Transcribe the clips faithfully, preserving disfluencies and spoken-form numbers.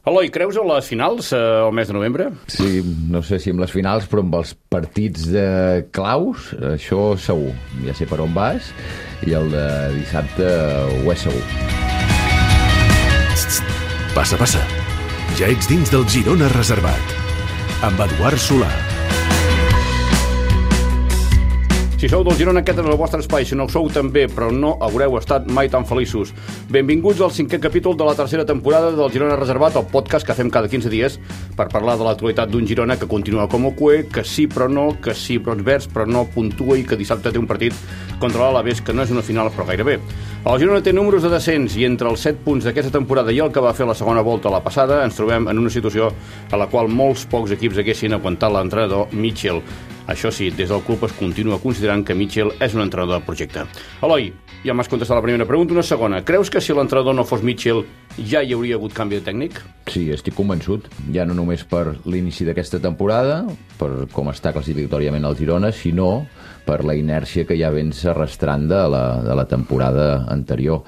Eloi, creus en les finals eh, el mes de novembre? Sí, no sé si amb les finals, però amb els partits de claus, això segur. Ja sé per on vas, i el de dissabte ho és segur. Passa, passa. Ja ets dins del Girona Reservat. Amb Eduard Solà. Si sou del Girona, aquest és el vostre espai. Si no ho sou, també, però no haureu estat mai tan feliços. Benvinguts al cinquè capítol de la tercera temporada del Girona Reservat, el podcast que fem cada quinze dies per parlar de l'actualitat d'un Girona que continua com a cué, que sí però no, que sí però ens verds, però no puntua i que dissabte té un partit contra l'Alavés, que no és una final, però gairebé. El Girona té números de descens i entre els set punts d'aquesta temporada i el que va fer la segona volta a la passada ens trobem en una situació a la qual molts pocs equips haguessin aguantat l'entrenador Mitchell. Això sí, des del club es continua considerant que Mitchell és un entrenador de projecte. Eloi, ja m'has contestat la primera pregunta, una segona. Creus que si l'entrenador no fos Mitchell ja hi hauria hagut canvi de tècnic? Sí, estic convençut. Ja no només per l'inici d'aquesta temporada, per com està classificatòriament el Girona, sinó per la inèrcia que ja vens arrastrant de la, de la temporada anterior.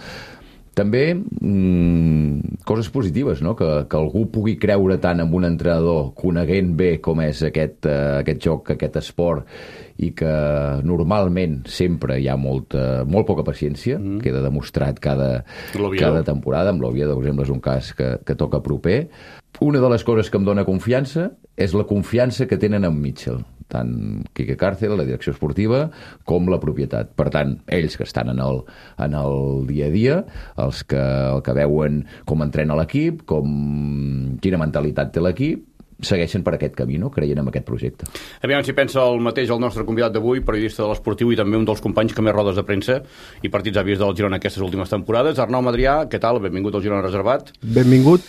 També mmm, coses positives, no? que, que algú pugui creure tant en un entrenador coneguent bé com és aquest, uh, aquest joc, aquest esport, i que normalment sempre hi ha molta, molt poca paciència, mm. queda demostrat cada, cada temporada. Amb l'Oviedo, per exemple, és un cas que, que toca proper. Una de les coses que em dona confiança és la confiança que tenen en Mitchell, tant Quique Cárcel, la direcció esportiva, com la propietat. Per tant, ells que estan en el, en el dia a dia, els que, el que veuen com entrena l'equip, com quina mentalitat té l'equip, segueixen per aquest camí, no? Creient en aquest projecte. Aviam si pensa el mateix el nostre convidat d'avui, periodista de l'Esportiu i també un dels companys que més rodes de premsa i partits ha vist del Girona aquestes últimes temporades. Arnau Madrià, què tal? Benvingut al Girona Reservat. Benvingut,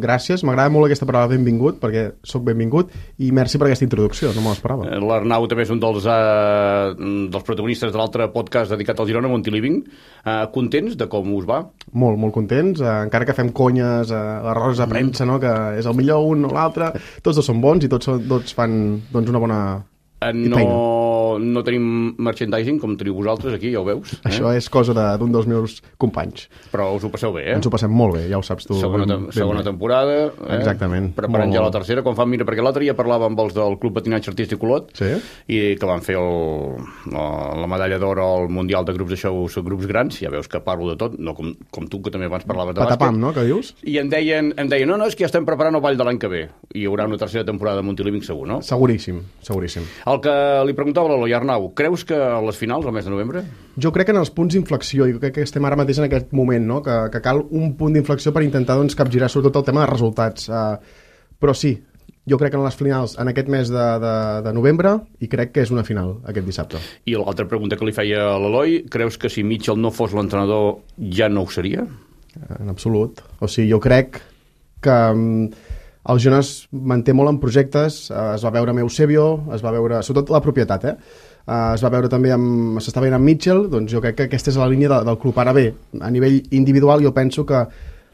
gràcies. M'agrada molt aquesta paraula benvingut, perquè sóc benvingut, i merci per aquesta introducció, no me l'esperava. L'Arnau també és un dels, uh, dels protagonistes de l'altre podcast dedicat al Girona, Montiliving. Uh, contents de com us va? Molt, molt contents, uh, encara que fem conyes, uh, les rodes de premsa, no? Que és el millor un o l'altre, tots dos són bons i tots, tots fan doncs, una bona no, feina. No tenim merchandising com teniu vosaltres aquí, ja ho veus. Eh? Això és cosa d'un dels meus companys. Però us ho passeu bé, eh? Ens ho passem molt bé, ja ho saps tu. Segona, ben, ben segona temporada. Eh? Exactament. Preparant molt, ja la tercera, quan fan mira, perquè l'altre dia parlava amb els del Club Patinatge Artístic Olot, sí? I que van fer el, la, la medalla d'or al Mundial de grups de shows, grups grans, ja veus que parlo de tot, no com, com tu, que també abans parlaves de bàsquet. Patapam, no?, que dius? I em deien, em deien, no, no, és que ja estem preparant el ball de l'any que ve. I hi haurà una tercera temporada de Montiliving segur, no? Seguríssim, seguríssim. El que li preguntava a l'Eloi, Arnau, creus que a les finals, al mes de novembre? Jo crec que en els punts d'inflexió, i crec que estem ara mateix en aquest moment, no? que, que cal un punt d'inflexió per intentar doncs, capgirar sobretot el tema de resultats. Uh, però sí, jo crec que en les finals, en aquest mes de, de, de novembre, i crec que és una final aquest dissabte. I l'altra pregunta que li feia a l'Eloi, creus que si Mitchell no fos l'entrenador ja no ho seria? En absolut. O sigui, jo crec que um, el Girona es manté molt en projectes, uh, es va veure amb Eusebio, es va veure, sobretot la propietat, eh? Uh, es va veure també amb, s'està veient amb Mitchell, doncs jo crec que aquesta és la línia de, del club. Ara bé, a nivell individual jo penso que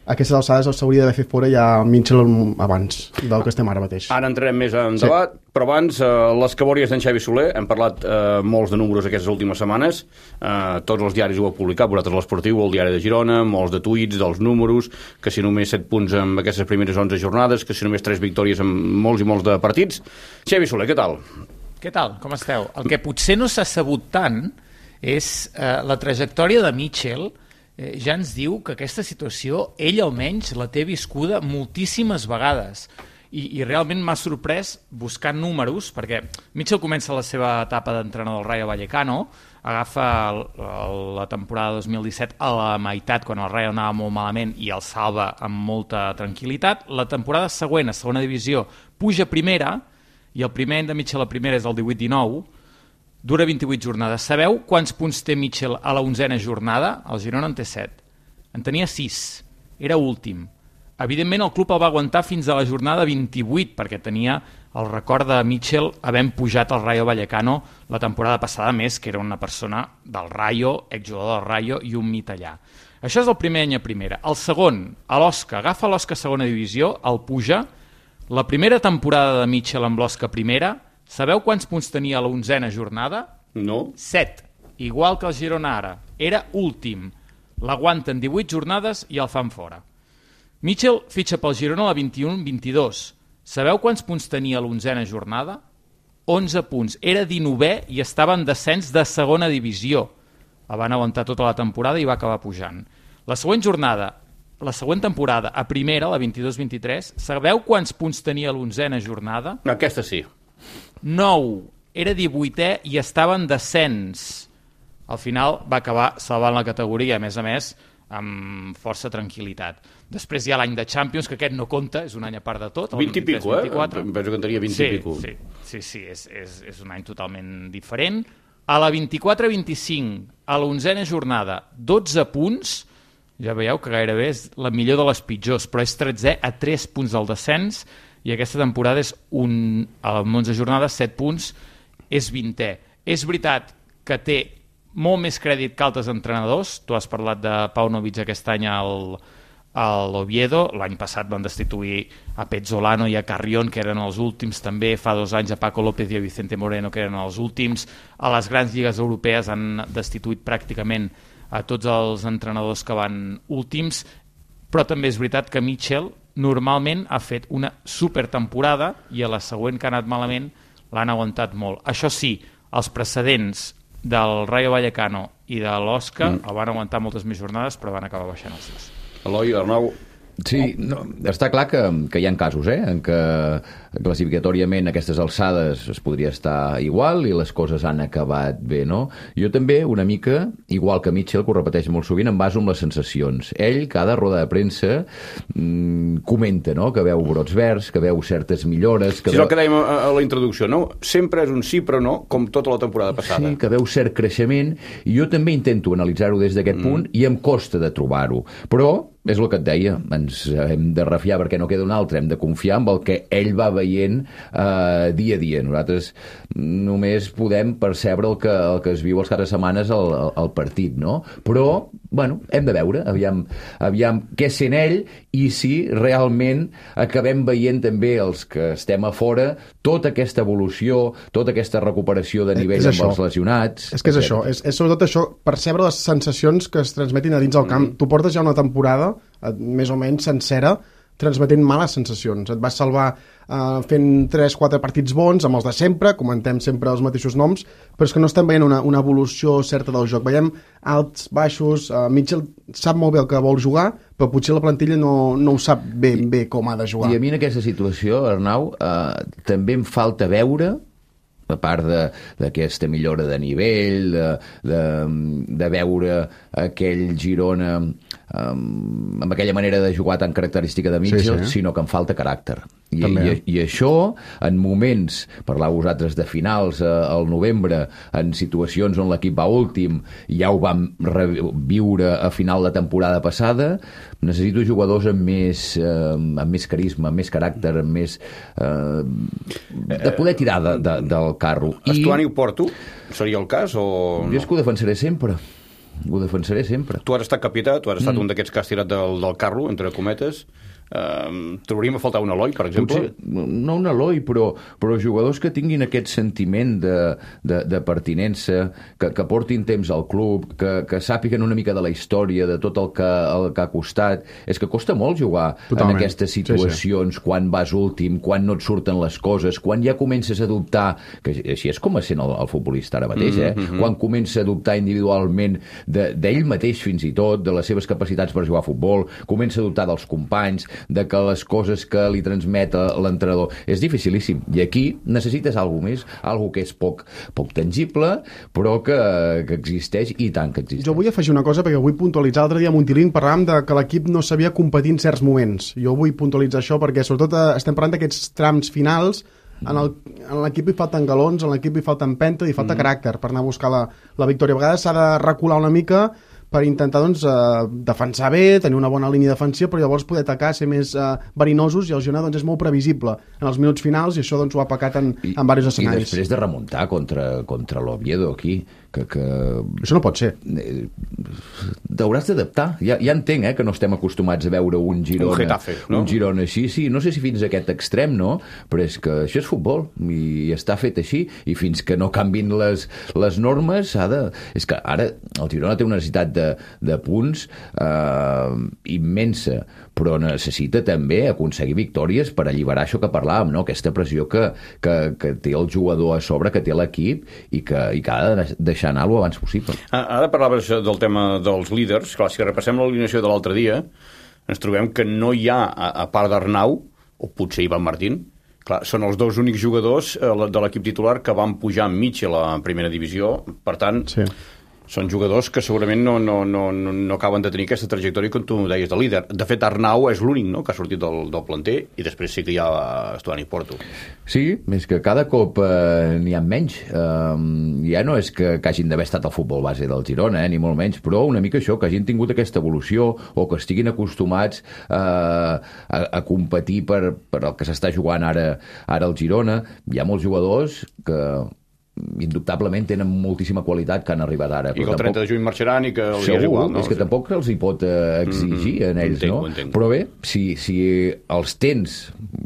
a aquestes alçades s'hauria d'haver fet fora ja Mitchell abans del que estem ara mateix. Ara entrarem més en debat, sí. Però abans uh, les cabòries d'en Xavi Soler, hem parlat uh, molts de números aquestes últimes setmanes, uh, tots els diaris ho heu publicat, vosaltres l'Esportiu, el Diari de Girona, molts de tuits dels números, que si només set punts en aquestes primeres onze jornades, que si només tres victòries en molts i molts de partits. Xavi Soler, què tal? Què tal? Com esteu? El que potser no s'ha sabut tant és eh, la trajectòria de Mitchell. Eh, ja ens diu que aquesta situació ell almenys la té viscuda moltíssimes vegades i, i realment m'ha sorprès buscant números, perquè Mitchell comença la seva etapa d'entrenador del Rayo Vallecano, agafa el, el, la temporada dos mil disset a la meitat quan el Rayo anava molt malament i el salva amb molta tranquil·litat. La temporada següent, a segona divisió, puja a primera, i el primer any de Mitchell a primera és el divuit dinou, dura vint-i-vuit jornades. Sabeu quants punts té Mitchell a la onzena jornada? El Girona en té set. En tenia sis. Era últim. Evidentment el club el va aguantar fins a la jornada vint-i-vuit, perquè tenia el record de Mitchell havent pujat al Rayo Vallecano la temporada passada, més que era una persona del Rayo, exjugador del Rayo i un mit allà. Això és el primer any a primera. El segon, a l'Osca, agafa l'Osca a segona divisió, el puja. La primera temporada de Mitchell amb l'Osca primera, sabeu quants punts tenia a la onzena jornada? No. Set. Igual que el Girona ara. Era últim. L'aguanten divuit jornades i el fan fora. Mitchell fitxa pel Girona a la vint-i-un vint-i-dos. Sabeu quants punts tenia l'onzena jornada? onze punts. Era dinovè i estava en descens de segona divisió. La van aguantar tota la temporada i va acabar pujant. La següent jornada, la següent temporada, a primera, la vint-i-dos vint-i-tres, sabeu quants punts tenia l'onzena jornada? Aquesta sí. nou. Era divuitè i estava en descens. Al final va acabar salvant la categoria, a més a més, amb força tranquil·litat. Després hi ha l'any de Champions, que aquest no compta, és un any a part de tot. vint i pico, eh? Penso que en tenia vint sí, i pico. Sí, sí, sí és, és, és un any totalment diferent. A la vint-i-quatre vint-i-cinc, a l'onzena jornada, dotze punts, ja veieu que gairebé és la millor de les pitjors, però és tretzè a tres punts del descens, i aquesta temporada és un, a l'onze jornada, set punts, és vintè. És veritat que té molt més crèdit que altres entrenadors. Tu has parlat de Paunovic aquest any al, al Oviedo. L'any passat van destituir a Pezzolano i a Carrión, que eren els últims també. Fa dos anys a Paco López i a Vicente Moreno, que eren els últims. A les grans lligues europees han destituït pràcticament a tots els entrenadors que van últims. Però també és veritat que Mitchell normalment ha fet una supertemporada i a la següent que ha anat malament l'han aguantat molt. Això sí, els precedents del Rayo Vallecano i de l'Osca mm. el van aguantar moltes més jornades, però van acabar baixant els dos. Eloi, Arnau... Sí, no, està clar que, que hi ha casos, eh, en què classificatòriament a aquestes alçades es podria estar igual i les coses han acabat bé, no? Jo també, una mica, igual que Mitchell, que ho repeteix molt sovint, em baso en les sensacions. Ell, cada roda de premsa, mmm, comenta, no?, que veu brots verds, que veu certes millores... Que sí, veu... és el que dèiem a, a la introducció, no? Sempre és un sí però no, com tota la temporada passada. Sí, que veu cert creixement, i jo també intento analitzar-ho des d'aquest mm. punt, i em costa de trobar-ho. Però és el que et deia, ens hem de refiar perquè no queda un altre, hem de confiar en el que ell va veient eh, dia a dia. Nosaltres només podem percebre el que, el que es viu els caps de setmanes al, al, al partit, no? Però, bueno, hem de veure, aviam, aviam què sent ell i si realment acabem veient també els que estem a fora tota aquesta evolució, tota aquesta recuperació de nivell amb els lesionats. És que és això, és, és sobretot això, percebre les sensacions que es transmetin a dins del camp. Mm. Tu portes ja una temporada més o menys sencera, transmetent males sensacions. Et vas salvar eh, fent tres quatre partits bons, amb els de sempre, comentem sempre els mateixos noms, però és que no estem veient una, una evolució certa del joc. Veiem alts, baixos, eh, Mitchell sap molt bé el que vol jugar, però potser la plantilla no, no ho sap ben bé com ha de jugar. I a mi en aquesta situació, Arnau, eh, també em falta veure, a part d'aquesta millora de nivell, de, de, de veure aquell Girona um, amb aquella manera de jugar tan característica de Mitchell, sí, sí. sinó que em falta caràcter. I, i, i això, en moments, parlàveu vosaltres de finals eh, al novembre, en situacions on l'equip va últim, ja ho vam viure a final de temporada passada, necessito jugadors amb més, eh, amb més carisma, amb més caràcter, amb més... Eh, de poder tirar de, de, del carro. Estuani o Porto? Seria el cas? O jo és que ho defensaré sempre. Ho defensaré sempre. Tu has estat capità, tu has estat mm. un d'aquests que has tirat del, del carro, entre cometes. Uh, trobaríem a faltar un Eloi, per exemple? Potser, no un Eloi, però, però jugadors que tinguin aquest sentiment de, de, de pertinença, que, que portin temps al club, que, que sàpiguen una mica de la història, de tot el que, el que ha costat. És que costa molt jugar Totalment. en aquestes situacions, sí, sí. quan vas últim, quan no et surten les coses, quan ja comences a dubtar, que així és com a sent el, el futbolista ara mateix, eh? Mm-hmm. Quan comença a dubtar individualment d'ell de, mateix fins i tot, de les seves capacitats per jugar a futbol, comença a dubtar dels companys, de que les coses que li transmet l'entrenador. És dificilíssim. I aquí necessites alguna més, alguna que és poc, poc tangible, però que, que existeix i tant que existeix. Jo vull afegir una cosa, perquè vull puntualitzar. L'altre dia a Montilín parlàvem de que l'equip no sabia competir en certs moments. Jo vull puntualitzar això perquè sobretot estem parlant d'aquests trams finals. En l'equip hi falten galons, en l'equip hi falta empenta, hi falta mm. caràcter per anar a buscar la, la victòria. A vegades s'ha de recular una mica per intentar doncs, eh, defensar bé, tenir una bona línia defensiva, però llavors poder atacar, ser més eh, verinosos, i el Girona doncs, és molt previsible en els minuts finals, i això doncs, ho ha pecat en, I, en diversos escenaris. I després de remuntar contra, contra l'Oviedo aquí, que, que... Això no pot ser. T'hauràs d'adaptar. Ja, ja entenc eh, que no estem acostumats a veure un Girona, un Getafe, no? un Girona així, sí, no sé si fins a aquest extrem, no? Però és que això és futbol, i està fet així, i fins que no canvin les, les normes, ha de... És que ara el Girona té una necessitat de, de punts eh, immensa, però necessita també aconseguir victòries per alliberar això que parlàvem, no? Aquesta pressió que, que, que té el jugador a sobre, que té l'equip i que, i que ha de deixar anar lo abans possible. Ara parlaves del tema dels líders. Clar, si repassem l'alineació de l'altre dia, ens trobem que no hi ha, a, a part d'Arnau, o potser Ivan Martín, clar, són els dos únics jugadors de l'equip titular que van pujar amb Mitchell a primera divisió. Per tant, sí. Són jugadors que segurament no, no, no, no acaben de tenir aquesta trajectòria com tu deies de líder. De fet, Arnau és l'únic, no?, que ha sortit del, del planter, i després sí que hi ha Estuani Porto. Sí, és que cada cop eh, n'hi ha menys. Eh, ja no és que, que hagin d'haver estat al futbol base del Girona, eh, ni molt menys, però una mica això, que hagin tingut aquesta evolució o que estiguin acostumats eh, a, a competir per, per el que s'està jugant ara, ara al Girona. Hi ha molts jugadors que indubtablement tenen moltíssima qualitat que han arribat ara. I que el trenta de juny marxaran i que els segur, és igual, no? És que tampoc els hi pot eh, exigir mm-hmm. en ells, entenc, no? Entenc. Però bé, si, si els tens,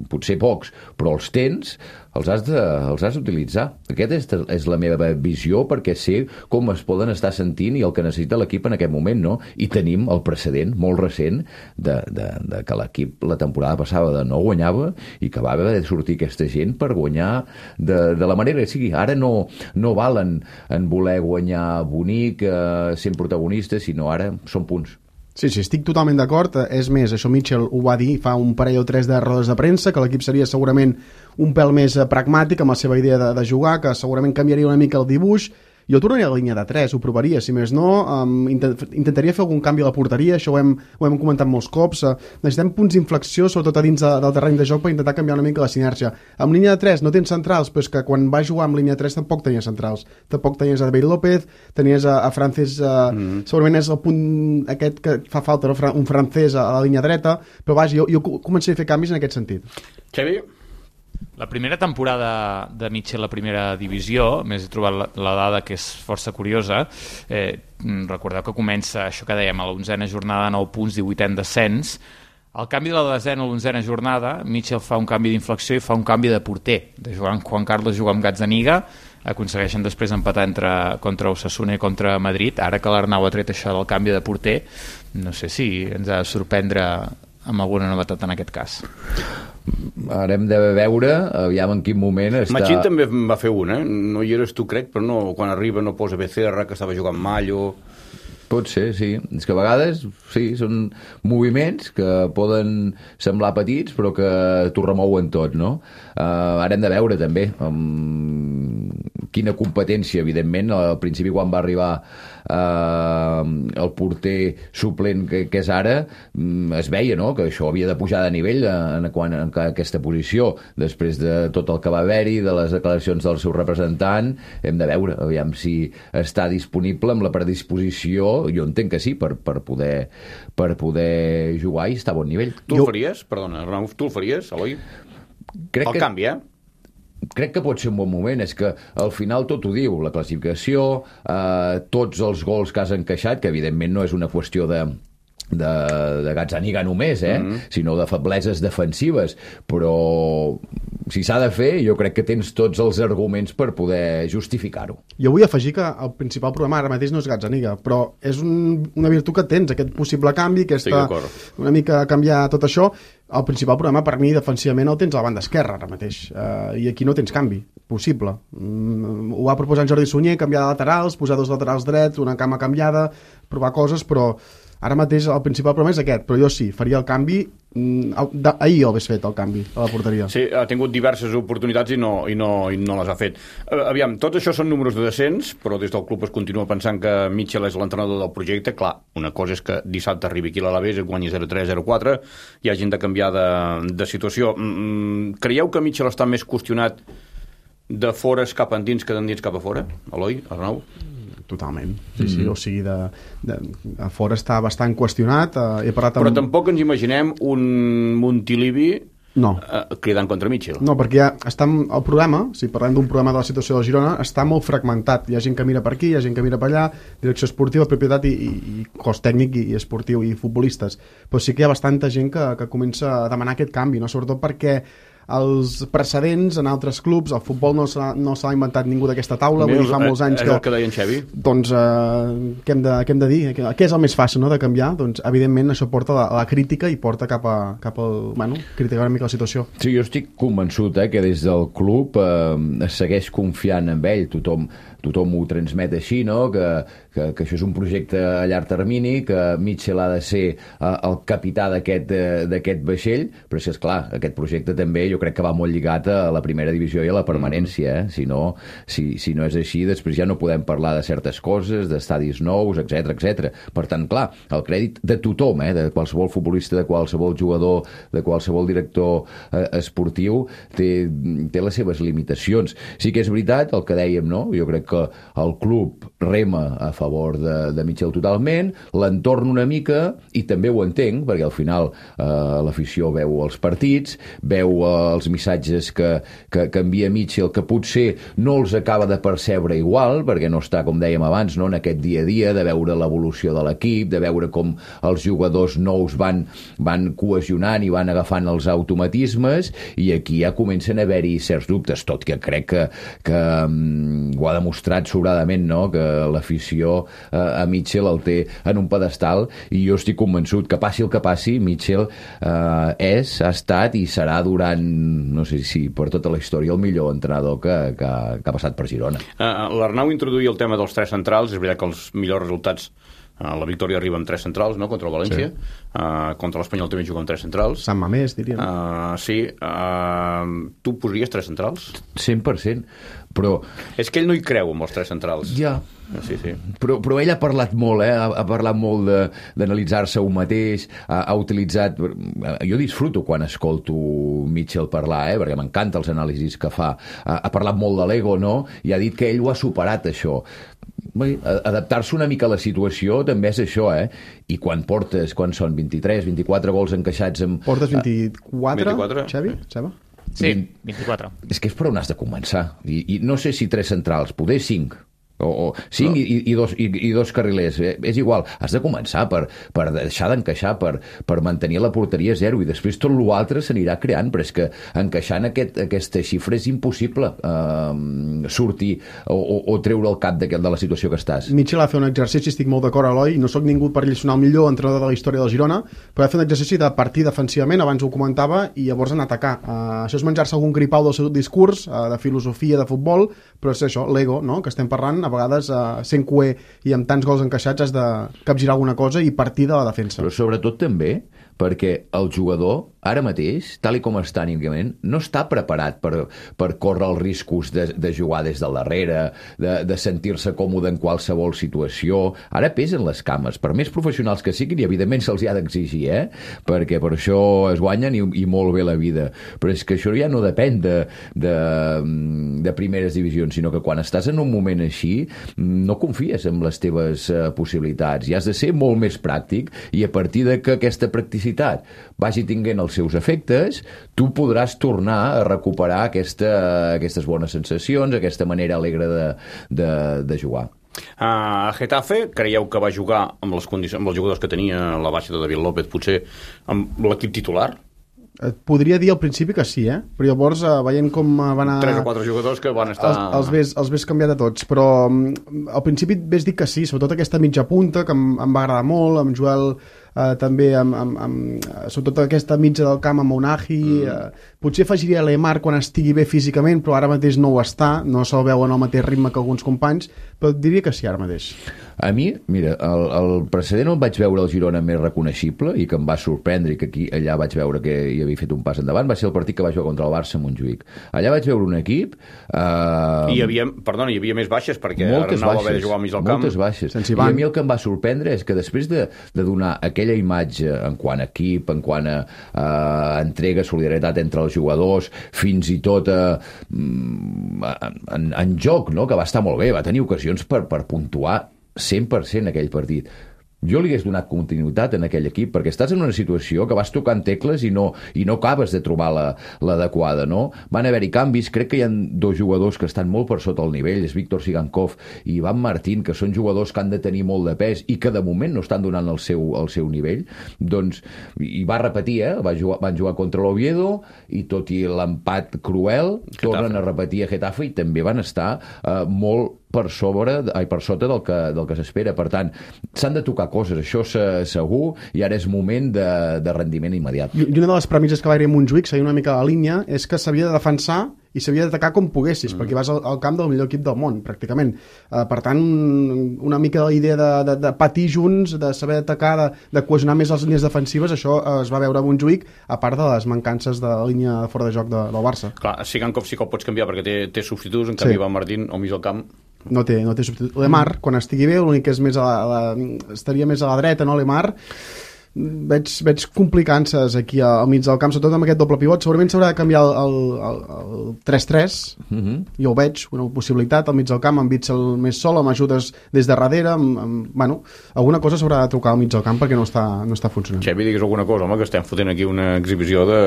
potser pocs, però els tens, els has de, els has d'utilitzar. Aquesta és, és la meva visió, perquè sé com es poden estar sentint i el que necessita l'equip en aquest moment, no? I tenim el precedent molt recent de, de, de que l'equip la temporada passada de no guanyava i que va haver de sortir aquesta gent per guanyar de, de la manera que sigui. Ara no, no valen en voler guanyar bonic, eh, sent protagonistes, sinó ara són punts. Sí, sí, estic totalment d'acord. És més, això Mitchell ho va dir fa un parell o tres de rodes de premsa, que l'equip seria segurament un pèl més pragmàtic amb la seva idea de, de jugar, que segurament canviaria una mica el dibuix. Jo tornaria a la línia de tres, ho provaria, si més no, um, intent, intentaria fer algun canvi a la porteria, això ho hem, ho hem comentat molts cops. Uh, necessitem punts d'inflexió, sobretot a dins de, del terreny de joc, per intentar canviar una mica la sinergia. Amb línia de tres no tens centrals, però és que quan va jugar amb línia de tres tampoc tenies centrals. Tampoc tenies a David López, tenies a, a Francis, uh, mm. segurament és el punt aquest que fa falta, no? Un francès a la línia dreta, però vaja, jo, jo començaré a fer canvis en aquest sentit. Xavi? La primera temporada de Mitchell a primera divisió, més he trobat la, la dada que és força curiosa, eh, recordeu que comença això que dèiem, a l'onzena jornada, nou punts, divuitè en descens. Al canvi de la desena a l'onzena jornada, Mitchell fa un canvi d'inflexió i fa un canvi de porter. De jugar amb Juan Carlos juga amb Gazzaniga, aconsegueixen després empatar entre, contra Osasuna i contra Madrid. Ara que l'Arnau ha tret això del canvi de porter, no sé si ens ha de sorprendre amb alguna novetat en aquest cas. Ara hem de veure, aviam en quin moment està... Machín també va fer un, eh? No hi eres tu, crec, però no, quan arriba no posa Becerra, que estava jugant Mallo... Pot ser, sí. És que a vegades, sí, són moviments que poden semblar petits, però que t'ho remouen tot, no? Uh, ara hem de veure, també, um, quina competència, evidentment. Al principi, quan va arribar uh, el porter suplent que, que és ara, um, es veia, no?, que això havia de pujar de nivell en, en, en aquesta posició. Després de tot el que va haver-hi, de les declaracions del seu representant, hem de veure, aviam si està disponible amb la predisposició. Jo entenc que sí, per, per, poder, per poder jugar i estar a bon nivell. Tu el faries? Perdona, Arnau, tu el faries, Eloi? Crec el que, canvi, eh? Crec que pot ser un bon moment. És que al final tot ho diu, la classificació, eh, tots els gols que has encaixat, que evidentment no és una qüestió de... de, de Gazzaniga només, eh? Mm-hmm. Sinó de febleses defensives, però si s'ha de fer, jo crec que tens tots els arguments per poder justificar-ho. Jo vull afegir que el principal problema ara mateix no és Gazzaniga, però és un, una virtut que tens, aquest possible canvi, aquesta, una mica canviar tot això. El principal problema per mi defensivament el tens a la banda esquerra ara mateix, uh, i aquí no tens canvi possible. Mm, ho va proposar en Jordi Sunyer, canviar de laterals, posar dos laterals drets, una cama canviada, provar coses, però ara mateix el principal problema és aquest, però jo sí, faria el canvi. Ahir ho hagués fet, el canvi a la porteria. Sí, ha tingut diverses oportunitats i no, i no, i no les ha fet. Aviam, tot això són números de descens, però des del club es continua pensant que Mitchell és l'entrenador del projecte. Clar, una cosa és que dissabte arribi aquí a l'Alavés, guanyi zero tres, zero quatre, i hagin de canviar de, de situació. Creieu que Mitchell està més qüestionat de fores cap endins que d'endins cap a fora? Eloi, Arnau? Totalment, sí, sí, mm. o sigui, de, de, a fora està bastant qüestionat. Eh, he parlat amb... Però tampoc ens imaginem un Montilivi no. eh, cridant contra Mitchell. No, perquè ja està el problema, si parlem d'un problema de la situació del Girona, està molt fragmentat. Hi ha gent que mira per aquí, hi ha gent que mira per allà, direcció esportiva, propietat i, i, i cos tècnic i, i esportiu i futbolistes. Però sí que hi ha bastanta gent que, que comença a demanar aquest canvi, no? Sobretot perquè els precedents en altres clubs. El futbol no s'ha, no s'ha inventat ningú d'aquesta taula, vull dir, fa molts anys que... És el que deia en Xavi. Doncs, eh, què, hem de, què hem de dir? Què és el més fàcil, no?, de canviar? Doncs, evidentment, això porta a la, a la crítica i porta cap a, cap al... Bueno, criticar una mica la situació. Sí, jo estic convençut eh, que des del club eh, es segueix confiant en ell. Tothom, tothom ho transmet així, no?, que, que, que això és un projecte a llarg termini, que Mitchell ha de ser eh, el capità d'aquest eh, d'aquest vaixell, però és clar, aquest projecte també jo crec que va molt lligat a la primera divisió i a la permanència, eh? Si no, si, si no és així, després ja no podem parlar de certes coses, d'estadis nous, etcètera, etcètera. Per tant, clar, el crèdit de tothom, eh? De qualsevol futbolista, de qualsevol jugador, de qualsevol director eh, esportiu, té, té les seves limitacions. Sí que és veritat el que dèiem, no? Jo crec que el club rema a favor de, de Mitchell totalment, l'entorn una mica, i també ho entenc, perquè al final eh, l'afició veu els partits, veu eh, els missatges que, que, que envia Mitchell, que potser no els acaba de percebre igual, perquè no està, com dèiem abans, no, en aquest dia a dia, de veure l'evolució de l'equip, de veure com els jugadors nous van, van cohesionant i van agafant els automatismes, i aquí ja comencen a haver-hi certs dubtes, tot que crec que, que um, ho ha demostrat sobradament, no?, que l'afició eh, a Mitchell el té en un pedestal, i jo estic convençut que passi el que passi, Mitchell eh, és, ha estat i serà durant, no sé si per tota la història, el millor entrenador que, que, que ha passat per Girona. Uh, L'Arnau introduïa el tema dels tres centrals. És veritat que els millors resultats, uh, la victòria arriba amb tres centrals, no?, contra el València. Sí. Uh, contra l'Espanyol també juga amb tres centrals. Sant Mamés, diríem. Uh, sí. Uh, tu posaries tres centrals? cent per cent. Però... És que ell no hi creu amb els tres centrals. Ja. Sí, sí. Però, però ell ha parlat molt, eh? ha, ha parlat molt d'analitzar-se un mateix, ha, ha utilitzat... Jo disfruto quan escolto Mitchell parlar, eh? Perquè m'encanta els anàlisis que fa. Ha, ha parlat molt de l'ego, no? I ha dit que ell ho ha superat, això. Bé, adaptar-se una mica a la situació també és això, eh? I quan portes, quan són vint-i-tres, vint-i-quatre gols encaixats amb... Portes vint-i-quatre, vint-i-quatre? Xavi? Xava? Sí, vint-i-quatre. És que és per on has de començar. I, i no sé si tres centrals, poder cinc. o, o cinc no. i, i, dos, i, i dos carrilers, eh, és igual, has de començar per, per deixar d'encaixar, per, per mantenir la porteria zero, i després tot l'altre s'anirà creant, però és que encaixant aquest, aquesta xifra és impossible eh, sortir o, o, o treure el cap de, de la situació que estàs. Mitchell ha fet un exercici, estic molt d'acord, Eloi, no sóc ningú per lliçonar el millor entrenador de la història del Girona, però ha fet un exercici de partir defensivament, abans ho comentava, i llavors anar a atacar. Uh, això és menjar-se algun gripau del seu discurs, uh, de filosofia, de futbol, però és això, l'ego, no?, que estem parlant, a vegades uh, sent cuer i amb tants gols encaixats has de capgirar alguna cosa i partir de la defensa. Però sobretot també perquè el jugador, ara mateix, tal i com està anímicament, no està preparat per, per córrer els riscos de, de jugar des del darrere, de, de sentir-se còmode en qualsevol situació. Ara pesen les cames, per més professionals que siguin, i evidentment se'ls ha d'exigir, eh? Perquè per això es guanyen i, i molt bé la vida. Però és que això ja no depèn de, de, de primeres divisions, sinó que quan estàs en un moment així, no confies en les teves uh, possibilitats, i has de ser molt més pràctic, i a partir de que aquesta practicitat vagi tinguent els seus efectes, tu podràs tornar a recuperar aquesta, aquestes bones sensacions, aquesta manera alegre de, de, de jugar. A uh, Getafe, creieu que va jugar amb, les condicions, amb els jugadors que tenia la baixa de David López, potser amb l'equip titular? Et podria dir al principi que sí, eh? Però llavors, eh, veient com van anar... Tres o quatre jugadors que van estar... Els, els, ves, els ves canviar de tots, però um, al principi ves dir que sí, sobretot aquesta mitja punta, que em, em va agradar molt, amb Joel... Uh, també amb, amb, amb, sobretot aquesta mitja del camp amb Unahi, mm. uh, potser afegiria l'Emar quan estigui bé físicament, però ara mateix no ho està, no se'l veu en el mateix ritme que alguns companys, però diria que sí ara mateix. A mi, mira, el, el precedent on vaig veure el Girona més reconeixible i que em va sorprendre, i que aquí allà vaig veure que hi havia fet un pas endavant, va ser el partit que va jugar contra el Barça a Montjuïc. Allà vaig veure un equip... Uh, I hi havia, perdona, hi havia més baixes, perquè Arnau va haver de jugar al mig del camp. Moltes baixes. I a mi el que em va sorprendre és que després de, de donar aquella imatge en quant a equip, en quant a uh, entrega, solidaritat entre els jugadors, fins i tot uh, en, en joc, no?, que va estar molt bé, va tenir ocasions per, per puntuar cent per cent aquell partit. jo li hagués donat continuïtat en aquell equip, perquè estàs en una situació que vas tocant tecles i no, i no acabes de trobar la, l'adequada, no? Van haver-hi canvis, crec que hi ha dos jugadors que estan molt per sota el nivell, és Víctor Sigankov i Ivan Martín, que són jugadors que han de tenir molt de pes i que de moment no estan donant el seu, el seu nivell, doncs, i va repetir, eh? Va jugar, van jugar contra l'Oviedo i tot i l'empat cruel, Getafe. Tornen a repetir a Getafe i també van estar eh, molt per sobre, ai, per sota del que, del que s'espera. Per tant, s'han de tocar coses, això segur, i ara és moment de, de rendiment immediat. I una de les premisses que va haver a Montjuïc, seguint una mica la línia, és que s'havia de defensar i s'havia d'atacar com poguessis, mm. perquè vas al, al camp del millor equip del món, pràcticament. Uh, per tant, una mica la idea de, de, de patir junts, de saber atacar, de, de cohesionar més les línies defensives, això uh, es va veure a Montjuïc, a part de les mancances de la línia fora de joc de, del Barça. Clar, Sigankov sí que el pots canviar perquè té, té substituts, en canvi sí. Van Martín al mig del camp... No té, no té substitut. Lemar, quan estigui bé, l'únic que és més a la, a la, estaria més a la dreta, no, Lemar? Veig, veig complicances aquí al mig del camp, sobretot amb aquest doble pivot. Segurament s'haurà de canviar el, el, el tres tres, uh-huh. Jo ho veig, una possibilitat al mig del camp, amb Witsel més sol, amb ajudes des de darrere, amb, amb, bueno, alguna cosa s'haurà de trucar al mig del camp perquè no està, no està funcionant. Xavi, digues alguna cosa, home, que estem fotent aquí una exhibició de...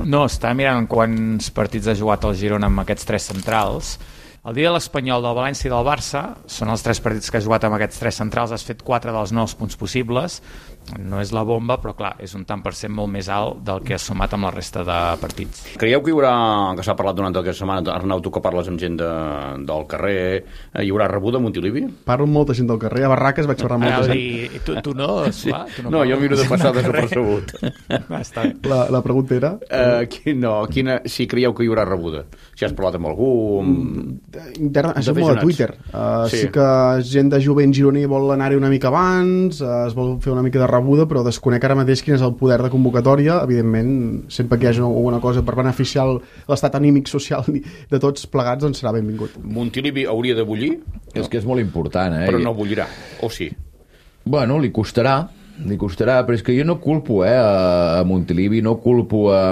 No, està mirant quants partits ha jugat el Girona amb aquests tres centrals. El dia de l'Espanyol, del València i del Barça són els tres partits que has jugat amb aquests tres centrals, has fet quatre dels nous punts possibles, no és la bomba, però clar, és un tant per cent molt més alt del que has sumat amb la resta de partits. Creieu que hi haurà, que s'ha parlat durant aquesta setmana, Arnau, tu que parles amb gent de, del carrer, hi haurà rebuda a Montilivi? Parlo amb molta gent del carrer, a Barraques vaig parlar amb molta gent. I tu, tu no, Suà? Tu no, no jo miro de passar desapercebut. La, la pregunta era? Uh, qui, no, quina, si creieu que hi haurà rebuda. Si has parlat amb algú... Interna, això és molt a Twitter. Uh, sí. sí que gent de jovent gironí vol anar-hi una mica abans, uh, es vol fer una mica de rebuda, però desconec ara mateix quin és el poder de convocatòria. Evidentment, sempre que hi hagi alguna cosa per beneficiar l'estat anímic social de tots plegats, doncs serà benvingut. Montilivi hauria de bullir? És que és molt important, eh? Però no bullirà, o sí? Bueno, li costarà, li costarà, però és que jo no culpo, eh, a Montilivi, no culpo a...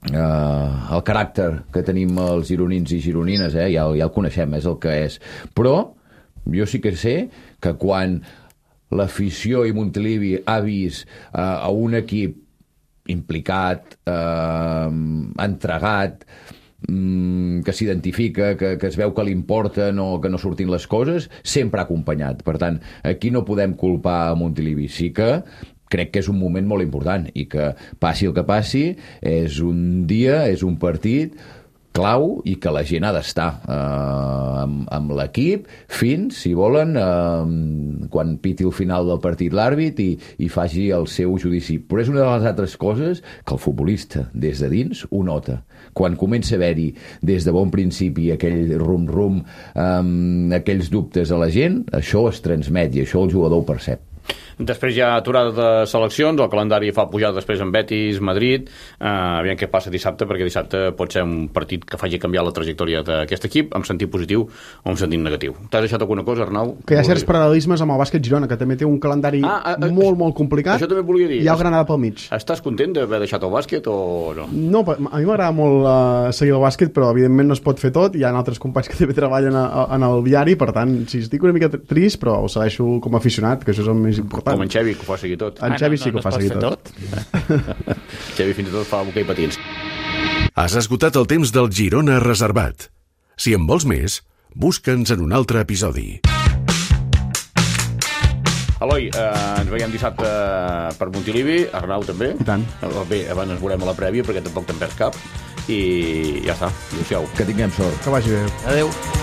Uh, el caràcter que tenim els gironins i gironines, eh? ja, ja el coneixem, és el que és, però jo sí que sé que quan l'afició i Montilivi ha vist uh, a un equip implicat, uh, entregat, um, que s'identifica, que, que es veu que li importa no, que no surtin les coses, sempre ha acompanyat. Per tant, aquí no podem culpar a Montilivi. Sí que crec que és un moment molt important i que passi el que passi, és un dia, és un partit clau i que la gent ha d'estar eh, amb, amb l'equip fins, si volen, eh, quan piti el final del partit l'àrbit i, i faci el seu judici. Però és una de les altres coses que el futbolista, des de dins, ho nota. Quan comença a haver-hi, des de bon principi, aquell rum-rum, eh, aquells dubtes a la gent, això es transmet i això el jugador ho percep. Després hi ha aturada de seleccions, el calendari fa pujar després en Betis, Madrid, eh, aviam què passa dissabte, perquè dissabte pot ser un partit que faci canviar la trajectòria d'aquest equip en sentit positiu o en sentit negatiu. T'has deixat alguna cosa, Arnau? Que hi ha certs paral·lelismes amb el bàsquet Girona, que també té un calendari ah, ah, molt, molt complicat. Això també volia dir. I hi ha el Granada pel mig. Estàs content d'haver deixat el bàsquet o no? No, a mi m'agrada molt uh, seguir el bàsquet, però evidentment no es pot fer tot. Hi ha altres companys que també treballen a, a, en el diari, per tant, sí, estic una mica trist, però ho segueixo com a aficionat, que això és el més important. Com en Xavi, que ho fa seguir tot. En Xavi sí que ho fa seguir tot. Xavi fins i tot fa hoquei patins. Has esgotat el temps del Girona reservat. Si en vols més, busca'ns en un altre episodi. Eloi, eh, ens veiem dissabte per Montilivi, Arnau també. I tant. Bé, abans ens veurem a la prèvia perquè tampoc te'n perds cap. I ja està, adéu-siau. Que tinguem sort. Que vagi bé. Adéu.